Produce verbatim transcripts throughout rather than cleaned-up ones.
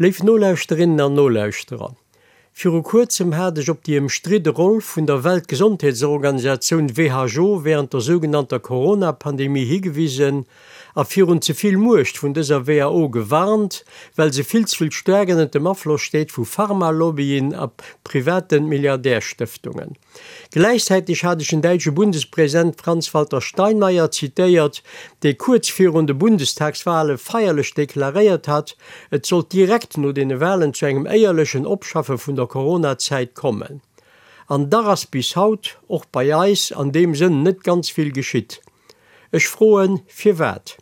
Léif Nolauschterinnen an Nolauschterer, viru kuerzem hat ech op déi ëmstridde Roll vun der Weltgesondheetsorganisatioun who wärend der sougenannter Corona-Pandemie higewisen a virun ze vill Muecht vun dëser who gewarnt, well se vill ze vill staark ënnert dem Afloss steet vu Pharma-Lobbyen a private Milliardärstëftungen. Gläichzäiteg hat ech den däitsche Bundespresident Franz-Walter Steinmeier zitéiert, dee kuerz virun de Bundestagswale feierlech deklaréiert hat, et sollt direkt no deene Walen zu engem éierlechen Opschaffe vun der Corona-Zäit kommen. An dach ass bis haut, och bei eis, an deem Sënn net ganz vill geschitt. Ech froen, firwat?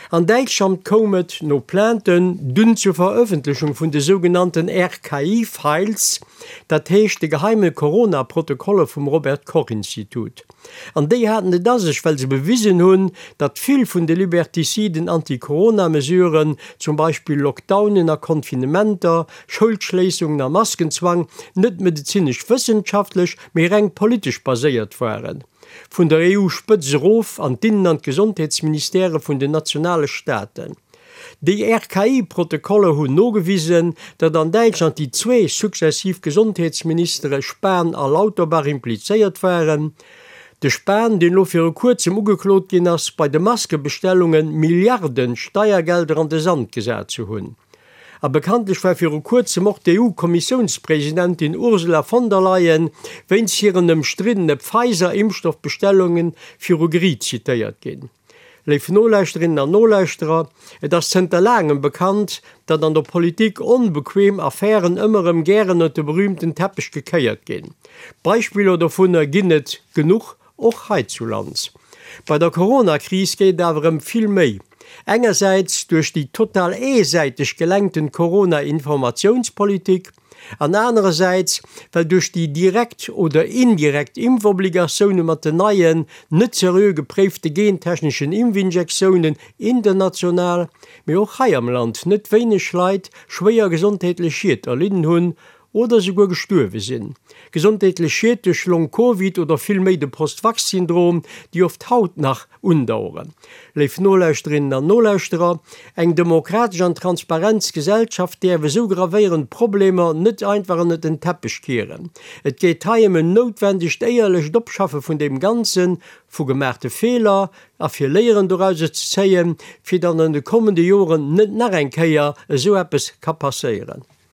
An Däitschland koum et, no Plainten, dunn zur Verëffentlechung vun de sougenannten RKI-Files, dat heescht de geheime Corona-Protokoller vum Robert Koch-Institut. An déi haten et a sech, well se bewisen hunn, datt vill vun de libertiziden Anti-Corona-Mesuren, zum Beispill Lockdownen a Confinementer, Schoulschléissungen a Maskenzwang, net medezinesch-wëssenschaftlech, mee reng politesch baséiert waren. Vun der EU-Spëtz erof an d'Innen an d'Gesondheetsministèrë vun den nationale Staaten. Déi RKI-Protokoller hunn nogewisen, datt an Däitschland déi zwee successiv Gesondheetsministere Spahn a Lauterbach implizéiert waren. De Spahn, deen elo viru kuerzem ugeklot ginn ass, bei de Maskebestellunge Milliarden Steiergelder an de Sand gesat ze hunn. A bekanntlech war viru kuerzem och d'EU-Kommissiounspresidentin Ursula von der Leyen wéinst hiren ëmstriddene Pfizer-Impfstoffbestellunge viru Geriicht zitéiert ginn. Léif Nolauschterinnen an Nolauschterer, et ass zënter laangem bekannt, datt an der Politik onbequem Affären ëmmer erëm gären ënnert de berüümten Teppech gekéiert ginn. Beispiller dovunner ginn et genuch, och heizulands. Bei der Corona-Kris geet et awer ëm vill méi. Engersäits duerch déi total eesäiteg gelenkten Corona-Informatiounspolitik an anerersäits, well duerch déi direkt oder indirekt Impfobligatioune mat den neien, net seriö gepréifte gentechneschen Impfinjektiounen international, mee och hei am Land net wéineg Leit schwéier gesondheetlech Schied erlidden hunn oder souguer gestuerwe sinn. Gesondheetlech Schied duerch Long-Covid oder vill méi de Post-Vax-Syndrom, déi oft haut nach undaueren. Léif Nolauschterinnen an Nolauschterer, eng demokratesch an transparent Gesellschaft däerf esou gravéierend Problemer net einfach ënnert den Teppech kieren. Et geet hei ëm en noutwendegt éierlecht Opschaffe vun deem Ganzen, vu gemaachte Feeler a fir Léieren dorauser ze zéien, fir datt an de kommende Joren net nach eng Kéier esou eppes ka passéieren.